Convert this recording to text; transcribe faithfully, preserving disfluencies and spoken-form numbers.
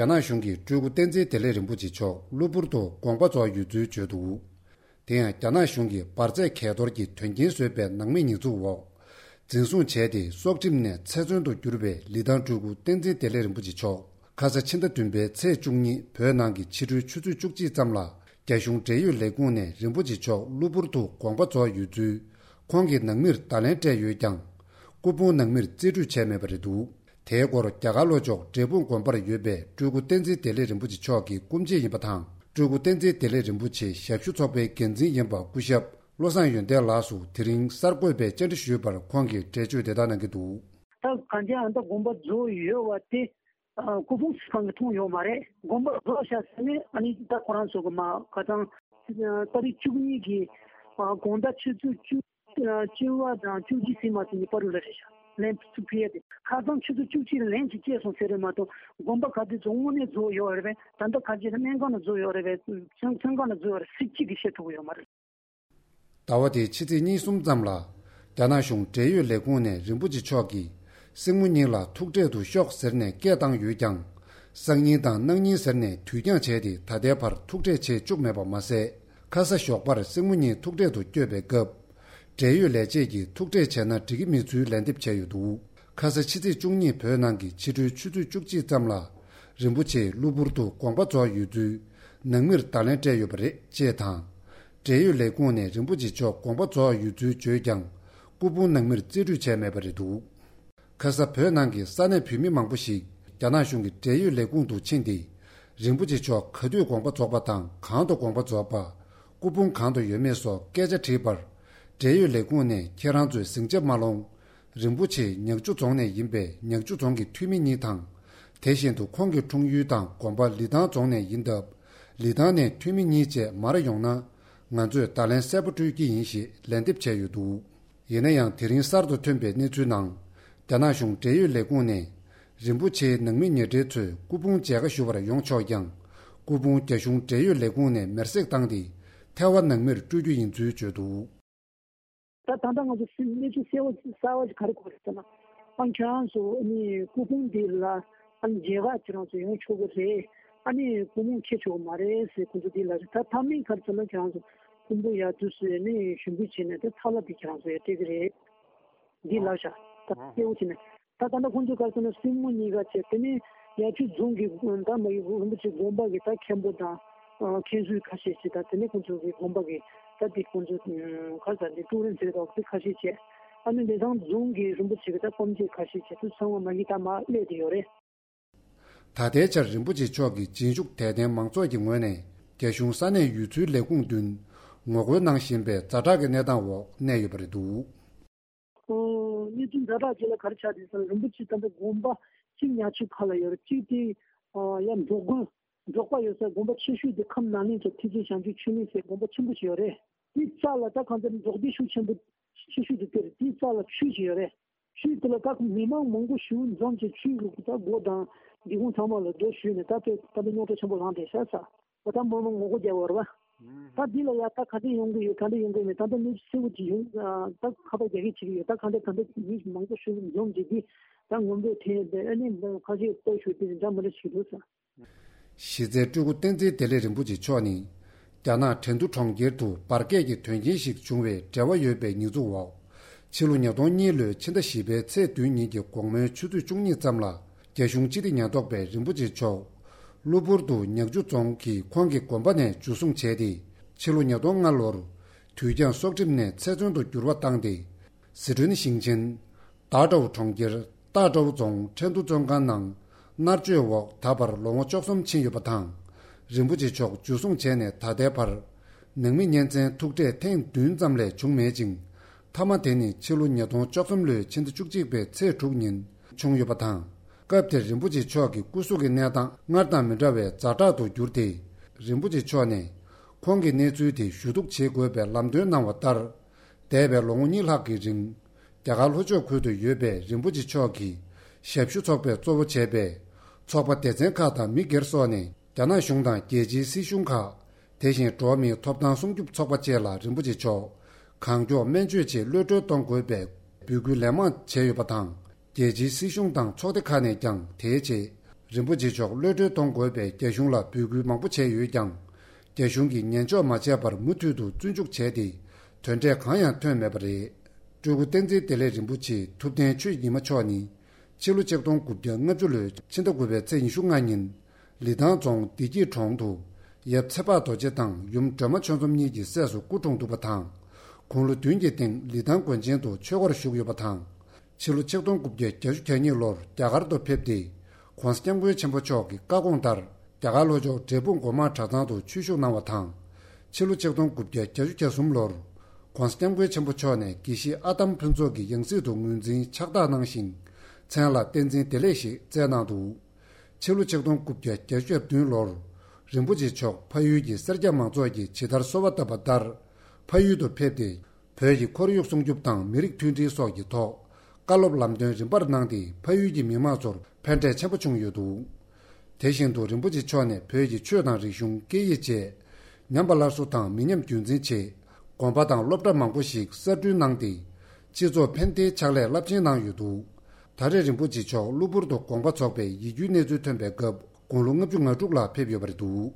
རྒྱ་ནག་གཞུང་གིས་སྤྲུལ་སྐུ་བསྟན་འཛིན་བདེ་ལེགས་རིན་པོ་ཆེ་མཆོག་གློ་བུར་དུ་དགོངས་པ་རྫོགས་ཡོད་ཚུལ་བརྗོད་འདུག་དེ་ཡང་རྒྱ་ནག་གཞུང་གིས་འབར་རྫས་གས་གཏོར་གྱི་དོན་རྐྱེན་བཟོས་པའི་ནང་མིའི་ཉེས་འཛུགས་འོག་འཛིན་བཟུང་བྱས་ཏེ་སྲོག་ཁྲིམས་ནས་ཚེ་བཙོན་དུ་གྱུར་བའི་ལི་ཐང་སྤྲུལ་སྐུ་བསྟན་འཛིན་བདེ་ལེགས་རིན་པོ་ཆེ་མཆོག་ཁ་ས་ཕྱི་ཟླ་བདུན་པའི་ཚེས་བཅུ་གཉིས་བོད་ནང་གི་ཕྱི་དྲོའི་ཆུ་ཚོད་བཅུ་གཅིག་ཙམ་ལ་རྒྱ་གཞུང་འབྲེལ་ཡོད་ལས་ཁུངས་ནས་རིན་པོ་ཆེ་མཆོག་གློ་བུར་དུ་དགོངས་པ་རྫོགས་ཡོད་ཚུལ་ཁོང་གི་ནང་མིར་བརྡ་ལན་སྤྲད་ཡོད་ཀྱང་། སྐུ་ཕུང་ནང་མིར་རྩིས་སྤྲོད་བྱས་མེད་པ་རེད་འདུག་དེའི་སྐོར་རྒྱ་གར་ལྷོ་ཕྱོགས་འབྲས་སྤུངས་དགོན་པར་ཡོད་པའི་སྤྲུལ་སྐུ་བསྟན་འཛིན་བདེ་ལེགས་རིན་པོ་ཆེ་མཆོག་གི་སྐུ་མཆེད་ཡིན་པ་དང་། སྤྲུལ་སྐུ་བསྟན་འཛིན་བདེ་ལེགས་རིན་པོ་ཆེའི་ཞབས་ཞུ་ཚོགས་པའི་འགན་འཛིན་ཡིན་པ་སྐུ་ཞབས་བློ་བཟང་ཡོན་ཏན་ལགས་སུ་དེ་རིང་གསར་འགོད་པས་བཅར་འདྲི་ཞུས་པར་ཁོང་གིས་འགྲེལ་བརྗོད་དེ་ལྟར་གནང་གི་འདུག་ད་གང་ཅི་ཨ་ད་དགོངས་པ་རྫོགས་ཡོད་པ་དེ། ཨ། སྐུ་ཕུང་སུ་གང་གིས་མཐོང་ཡོད་མ་རེད། དགོངས་པ་རྫོགས་བཞག་ཟེར་ནས་ཨ་ནི་ད་ཁོ་རང་ཚོ་གི་མ་ཁ་སང་ཏ་རིག་བཅུ་གཉིས་ཀྱི་ཨ་དགོང་དག་ཆུ་ཚོད་བཅུ་ཨ་བཅུ་པ་དང་བཅུ་གཅིག་ཟིན་མ་ཟིན་གྱི་བར་དུ་ལ་རེད་ཤག་ལན་ཚུར་ཕུལ་ཡ་དེ་ཁ་སང་ཆུ་ཚོད་བཅུ་གཅིག་ལ་ལན་ཅིག་བཅད་སོང་ཟེར་རེད་མ་གཏོགས་དགོངས་པ་ག་དུས་ཚོད་དངོས་གནས་རྫོགས་ཡོད་རེད་པས། ད་ལྟ་ག་ཅི་ལ་སྨན་ཁང་ལ་རྫོགས་ཡོད་རེད་པས། སྨན་ཁང་ལ་རྫོགས་ཡོད་རེད་ཟེར་གཅིག་གིས་བཤད་ཐུབ་ཀྱི་ཡོད་མ་རེད། ཟླ་བ་འདིའི་ཕྱི་ཚེས་གཉིས་གསུམ་ཙམ་ལ། རྒྱ་ནག་གཞུང་འབྲེལ་ཡོད་ལས་ཁུངས་ནས་རིན་པོ་ཆེ་མཆོག་གིས་སྲིང་མོ་གཉིས་ལ་ཐུག་འཕྲད་དུ་ཤོག་ཟེར་ནས་སྐད་བཏང་ཡོད་ཀྱང་། སང་ཉིན་དང་གནངས་ཉིན་ཟེར་ནས་དུས་འགྱངས་བྱས་ཏེ་ད་ལྟའི་བར་ཐུག་འཕྲད་བྱེད་བཅུག་མེད་པ་མ་ཟད། ཁ་ས་ཞོགས་པར་སྲིང་མོ་གཉིས་ཐུག་འཕྲད་དུ་བསྐྱོད་པའི་སྐབས། འབྲེལ་ཡོད་ལས་བྱེད་ཀྱིས་ཐུག་འཕྲད་བྱས་ན་འགྲིག་གི་མེད་ཚུལ་ལན་འདེབས་བྱས་ཡོད་འདུག་ཁ་ས་ཕྱི་ཚེས་བཅུ་གཉིས་བོད་ནང་གི་ཕྱི་དྲོའི་ཆུ་ཚོད་བཅུ་གཅིག་ཙམ་ལ། རིན་པོ་ཆེས་གློ་བུར་དུ་དགོངས་པ་རྫོགས་ཡོད་ཚུལ་ནང་མིར་བརྡ་ལན་སྤྲད་ཡོད་པ་རེད་ཅེས་དང་། འབྲེལ་ཡོད་ལས་ཁུངས་ནས་རིན་པོ་ཆེ་མཆོག་དགོངས་པ་རྫོགས་ཡོད་ཚུལ་བརྗོད་ཀྱང་། སྐུ་ཕུང་ནང་མིར་རྩིས་སྤྲོད་བྱས་མེད་པ་རེད་འདུག་ཁ་ས་བོད་ནང་གི་ས་གནས་བོད་མི་མང་པོ་ཞིག་རྒྱ་ནག་གཞུང་གི་འབྲེལ་ཡོད་ལས་ཁུངས་དུ་ཕྱིན་ཏེ། རིན་པོ་ཆེ་མཆོག་ག་དུས་དགོངས་པ་རྫོགས་པ་དང་གང་དུ་དགོངས་པ་རྫོགས་པ། སྐུ་ཕུང་གང་དུ་ཡོད་མེད་སོགས་སྐད་ཆ་དྲིས་པར། འབྲེལ་ཡོད་ལས་ཁུངས་ནས་ཁྱེད་རང་ཚོས་ཟིང་ཆ་མ་སློང་། རིན་པོ་ཆེ་ཉག་ཆུ་རྫོང་ནས་ཡིན་པས་ཉག་ཆུ་རྫོང་གི་འཐུས་མི་གཉིས་དང་། དེ་བཞིན་དུ་ཁོང་གི་འཁྲུངས་ཡུལ་དང་དགོན་པ་ལི་ཐང་རྫོང་ནས་ཡིན་སྟབས། ལི་ཐང་ནས་འཐུས་མི་གཉིས་བཅས་མར་ཡོང་ན། ང་ཚོས་བརྡ་ལན་གསལ་པོ་སྤྲོད་ཀྱི་ཡིན་ཞེས་ལན་འདེབས་བྱས་ཡོད་འདུག་ཡིན་ན་ཡང་དེ་རིང་གསར་དུ་ཐོན་པའི་གནས་ཚུལ་ནང་། རྒྱ་ནག་གཞུང་འབྲེལ་ཡོད་ལས་ཁུངས་ནས། རིན་པོ་ཆེའི་ནང་མི་ཉེ་འབྲེལ་ཚོས་སྐུ་ཕུང་མཇལ་ཁ་ཞུ་བར་ཡོང་ཆོག་ཀྱང་། སྐུ་ཕུང་རྒྱ་གཞུང་འབྲེལ་ཡོད་ལས་ཁུངས་ནས་མེར་སྲེག་བཏང་སྟེ། ཐལ་བ་ནང་མིར་སྤྲོད་རྒྱུ་ཡིན་ཚུལ་བརྗོད་འདུག་ད་ད་ལྟ་ང་ཚོ་གནས་ཚུལ་གསལ་བོ་གསལ་བ་ཞིག་ག་རེ་གོ་རེད་ཟེར་ན། ཨ་ཁྱེད་རང་ཚོ་ཨ་ནི་སྐུ་ཕུང་འདི་ལ་ཨ་ནི་མཇལ་ཁ་ཁྱེད་རང་ཚོ་ཡོང་ཆོག་གི་རེད། ཨ་ནི་སྐུ་ཕུང་འཁྱེར་ཆོག་གི་མ་རེད་ཟེར་ཁོང་ཚོ་འདི་ལ་རེད། ད་མཐའ་མའི་ཁར་ཚོ་ན་ཁྱེད་རང་ཚོ་ཕུང་པོ་ཡར་དུས་སུ་ཨ་ནི་ཞུ་འབུལ་བྱས་ནས་ད་ཐལ་བ་འདི་ཁྱེད་རང་ཚོ་ཡར་སྤྲད་ཀྱི་རེད། འདི་ལགས་ཤག་ད་གསལ་བོ་བྱས་ནས། ད་ད་ལྟ་ཁོང་ཚོའི་སྐབས་སུ་ན་སྲིང་མོ་གཉིས་ཀ་བྱས། དེ་ནས་ཡ་ཆུ་རྫོང་གི་ད་མ་ཡི་རིན་པོ་ཆེ་དགོན་པ་གི་ད་མཁན་པོ་དང་མཁན་ཟུར་ཁ་ཤས་ཤིག་དང་། དེ་ནས་ཁོང་ཚོ་གི་དགོན་པ་གི་ད་དེ་ཁོང་ཚོ་ཁ་ས་དེ་ཀྲུའུ་རེན་ཟེར་བ་དེ་ཁ་ཤས་བྱས། ཨ་ནི་ལི་ཐང་རྫོང་གི་རིན་པོ་ཆེ་གི་ད་སྐོམ་ཆེ་ཁ་ཤས་བྱས། དུ་ཚང་མ་མ་གི་ད་མ་སླེབས་དེ་ཡོད་རེད། ད་ལྟའི་ཆར་རིན་པོ་ཆེ་མཆོག་གི་རྗེས་འཇུག་དད་ལྡན་མང་ཚོགས་ཀྱི་ངོས་ནས་རྒྱ་གཞུང་ས་གནས་ཡུལ་ཚོའི་ལས་ཁུངས་མདུན་ངོ་རྒོལ་གནང་བཞིན་པའི་ཛ་དྲག་གི་གནས་སྟངས་འོག་གནས་ཡོད་པ་རེད་འདུག་ཨོ། གནས་ཚུལ་ཛ་དྲག་ཅིག་ལ་ག་རེ་ཆགས་འདུག་ཟེར་ན། རིན་པོ་ཆེ་ད་ལྟ་དགོན་པ་གཅིག་ཉག་ཆུ་ཁ་ལ་ཡོད་རེད། གཅིག་དེ་ཡར་འབྲོག་དགོན་འབྲོག་པ་ཡོད་ས་དགོན་པ་ཆེ་ཤོས་དེ་ཁམས་ནག་གླིང་ཚོ་ཐེག་ཆེན་བྱང་ཆུབ་ཆོས་གླིང་ཟེར་དགོན་པ་ཆེན་པོ་ཞིག་ཡོད་རེད། དེའི་རྩ་ལ་ད་གང་ལྟར་འབྲོག་སྡེ་ཤུགས་ཆེན་པོ་ཆེ་ཤོས་དེ་དེ་རེད། དེའི་རྩ་ལ་ཆུ་ཞིག་ཡོད་རེད། ཆུའི་དེ་ལ་ད་མི་མང་མང་པོ་ཞིག་འཛོམས་བྱས། ཆུའི་ལུགས་ད་སྒོ་དང་སྒེའུ་ཁུང་ཚང་མ་ལ་རྡོ་གཞུས་ནས་ད་དེ་ད་ལྟ་རྙོག་དྲ་ཆེན་པོ་ལངས་བསྡད་ཤག་ས། ད་མང་མང་ངོ་རྒོལ་རྒྱག་པ་རེད་པ། ད་འདི་ལ་ཡ་ད་ག་འདྲ་ཡོང་གི་ཡོད། ག་འདྲ་ཡོང་གི་མེད། ད་ལྟ་གནས་ཚུལ་གསལ་པོ་ཅིག་ཡོང་། ད་ཁ་པར་རྒྱག་གི་བྱེད་ཀྱི་ཡོད། ད་ག་འདྲ་ག་འདྲ་མི་མང་པོ་ཞིག་འཛོམས་བྱས་འདི་ད་ངོམ་རོགས་འཐེན་པའི་ཨ་ནི་ཁ་ཤས་ལྟོ་ཞུ་དེ་འདྲ་མི་འདྲ་བྱེད་འདུག་ས། གཞི་རྩའི་སྤྲུལ་སྐུ་བསྟན་འཛིན་བདེ་ལེགས་རིན་པོ་ཆེ་མཆོག་ནི། རྒྱ་ནག་ཁྲེང་ཏུ་གྲོང་ཁྱེར་དུ་འབར་གས་ཀྱི་དོན་རྐྱེན་ཞིག་བྱུང་བའི་འབྲེལ་བ་ཡོད་པའི་ཉེས་འཛུགས་འོག་ཕྱི་ལོ་ཉིས་སྟོང་གཉིས་ལོའི་ཕྱི་ཟླ་བཞི་པའི་ཚེས་བདུན་ཉིན་གྱི་དགོང་མོའི་ཆུ་ཚོད་བཅུ་གཉིས་ཙམ་ལ། རྒྱ་གཞུང་སྤྱི་བདེ་ཉེན་རྟོག་པས་རིན་པོ་ཆེ་མཆོག་གློ་བུར་དུ་ཉག་ཆུ་རྫོང་གི་ཁོང་གི་དགོན་པ་ནས་འཇུ་བཟུང་བྱས་ཏེ། ཕྱི་ལོ་ཉིས་སྟོང་ལྔ་ལོར་དུས་འགྱངས་སྲོག་ཁྲིམས་ནས་ཚེ་བཙོན་དུ་འགྱུར་བ་བཏང་སྟེ། ཟི་ཁྲོན་ཞིང་ཆེན། ཏཱ་ཀྲོའུ་གྲོང་ཁྱེར་ཏཱ་ཀྲོའུ་རྫོང་ཁྲེང་ཏུ་བཙོན་ཁང་ནང་མནར་གཅོད་འོག་ད་བར་ལོ་ངོ་བཅུ་གསུམ་ཕྱིན་ཡོད་པ་དང་། རིན་པོ་ཆེ་མཆོག་འཇུ་བཟུང་བྱས་ནས་ད་ལྟའི་བར། ནང་མི་གཉེན་ཚན་ཐུག་འཕྲད་ཐེངས་བདུན་ཙམ་ལས་བྱུང་མེད་ཅིང་། མཐའ་མ་དེ་ནི་ཕྱི་ལོ་ཉིས་སྟོང་བཅུ་གསུམ་ལོའི་ཕྱི་ཟླ་བཅུ་གཅིག་པའི་ཚེས་དྲུག་ཉིན་བྱུང་ཡོད་པ་དང་། སྐབས་དེར་རིན་པོ་ཆེ་མཆོག་གི་སྐུ་གཟུགས་ཀྱི་གནས་སྟངས་སྔར་དང་མི་འདྲ་བའི་ཛ་དྲག་ཏུ་གྱུར་ཏེ། རིན་པོ་ཆེ་མཆོག་ནས་ཁོང་གི་གནས་ཚུལ་དེ་ཞུ་གཏུག་བྱེད་དགོས་པའི་ལམ་སྟོན་གནང་བ་ལྟར། འདས་པའི་ལོ་ངོ་གཉིས་ལྷག་གི་རིང་། རྒྱ་གར་ལྷོ་ཕྱོགས་ཁུལ་དུ་ཡོད་པའི་རིན་པོ་ཆེ་མཆོག་གི་ཞབས་ཞུ་ཚོགས་པས་གཙོ་བོ་བྱས་པའི་ཚོགས་པ་སྡེ་ཚན་ཁག་དང་མི་སྒེར་སོགས་ནས། རྒྱ་ནག་གཞུང་དང་རྒྱལ་སྤྱིའི་སྲིད་གཞུང་ཁག་དེ་བཞིན་འགྲོ་བ་མིའི་ཐོབ་ཐང་སྲུང་སྐྱོབ་ཚོགས་པ་བཅས་ལ་རིན་པོ་ཆེ་མཆོག་གང་མགྱོགས་སྨན་བཅོས་ཆེད་གློད་གྲོལ་གཏོང་དགོས་པའི་འབོད་སྐུལ་ལན་མང་བྱས་ཡོད་པ་དང་། རྒྱལ་སྤྱིའི་སྲིད་གཞུང་དང་ཚོགས་སྡེ་ཁག་ནས་ཀྱང་དེའི་ཆེད་ རིན་པོ་ཆེ་མཆོག་གློད་གྲོལ་གཏོང་དགོས་པའི་རྒྱ་གཞུང་ལ་འབོད་སྐུལ་མང་པོ་བྱས་ཡོད་ཀྱང་། རྒྱ་གཞུང་གིས་ཉན་འཇོག་མ་བྱས་པར་མུ་མཐུད་དུ་བཙོན་འཇུག་བྱས་ཏེ། དོན་འབྲས་གང་ཡང་ཐོན་མེད་པ་རེད། སྤྲུལ་སྐུ་བསྟན་འཛིན་བདེ་ལེགས་རིན་པོ་ཆེ་ཐུབ་བསྟན་ཆོས་ཉི་མ་མཆོག་ནི། ཕྱི་ལོ་ཆིག་སྟོང་དགུ་བརྒྱ་ལྔ་བཅུ་ལོའི་ཕྱི་ཟླ་དགུ་པའི་ཚེས་ཉི་ཤུ་ལྔ་ཉིན། ལི་ཐང་རྫོང་བདེ་སྐྱིད་གྲོང་དུ། ཡབ་ཚེ་དཔག་རྡོ་རྗེ་དང་ཡུམ་སྒྲོལ་མ་ཆོས་འཛོམས་གཉིས་ཀྱི་སྲས་སུ་སྐུ་འཁྲུངས་འདུག་པ་དང་། དགུང་ལོ་བདུན་གྱི་སྟེང་ལི་ཐང་དགོན་ཆེན་དུ་ཆོས་སྒོར་ཞུགས་ཡོད་པ་དང་། ཕྱི་ལོ་ཆིག་སྟོང་དགུ་བརྒྱ་བརྒྱད་ཅུ་གྱ་གཉིས་ལོར་རྒྱ་གར་དུ་ཕེབས་ཏེ། ༸གོང་ས་༸སྐྱབས་མགོན་ཆེན་པོ་མཆོག་གི་བཀའ་དགོངས་ལྟར། རྒྱ་གར་ལྷོ་ཕྱོགས་འབྲས་སྤུངས་སྒོ་མང་གྲྭ་ཚང་དུ་ཆོས་ཞུགས་གནང་བ་དང་། ཕྱི་ལོ་ཆིག་སྟོང་དགུ་བརྒྱ་བརྒྱད་ཅུ་གྱ་གསུམ་ལོར། ༸གོང་ས་༸སྐྱབས་མགོན་ཆེན་པོ་མཆོག་ནས་དགེ་བཤེས་ཨ་དམ་ཕུན་ཚོགས་ཀྱི་ཡང་སྲིད་དུ་ངོས་འཛིན་ཕྱག་རྟགས་གནང་ཞིང་། མཚན་ལ་བསྟན་འཛིན་བདེ་ལེགས་ཞེས་བསྩལ་གནང་འདུག་ཕྱི་ལོ་ཆིག་སྟོང་དགུ་བརྒྱ་བརྒྱད་ཅུ་གྱ་བདུན་ལོར། རིན་པོ་ཆེ་མཆོག་ཕ་ཡུལ་གྱི་སེར་སྐྱ་མང་ཚོགས་ཀྱིས་ཇི་ལྟར་གསོལ་བ་བཏབ་པ་ལྟར། ཕ་ཡུལ་དུ་ཕེབས་ཏེ། བོད་ཀྱི་ཁོར་ཡུག་སྲུང་སྐྱོབ་དང་མི་རིགས་མཐུན་སྒྲིལ་སོགས་ཀྱི་ཐོག་བཀའ་སློབ་ལམ་སྟོན་རིམ་པར་གནང་སྟེ། ཕ་ཡུལ་གྱི་མི་མང་ཚོར་ཕན་འབྲས་ཆེན་པོ་བྱུང་ཡོད་འདུག་དེ་བཞིན་དུ་རིན་པོ་ཆེ་མཆོག་ནས་བོད་ཀྱི་ཆོས་དང་རིག་གཞུང་སྐད་ཡིག་བཅས་ཉམས་པ་སླར་གསོ་དང་མི་ཉམས་རྒྱུན་འཛིན་ཆེད། དགོན་པ་དང་སློབ་གྲྭ་མང་པོ་ཞིག་གསར་སྐྲུན་གནང་སྟེ། སྤྱི་ཚོགས་ཕན་བདེའི་ཕྱག་ལས་རླབས་ཆེན་གནང་ཡོད་འདུག་ད་རེས་རིན་པོ་ཆེ་མཆོག་གློ་བུར་དུ་དགོངས་པ་རྫོགས་པའི་ཡིད་སྐྱོའི་གནས་ཚུལ་ཐོན་པའི་སྐབས། དགུང་ལོ་ལྔ་བཅུ་ང་དྲུག་ལ་ཕེབས་ཡོད་པ་རེད་འདུག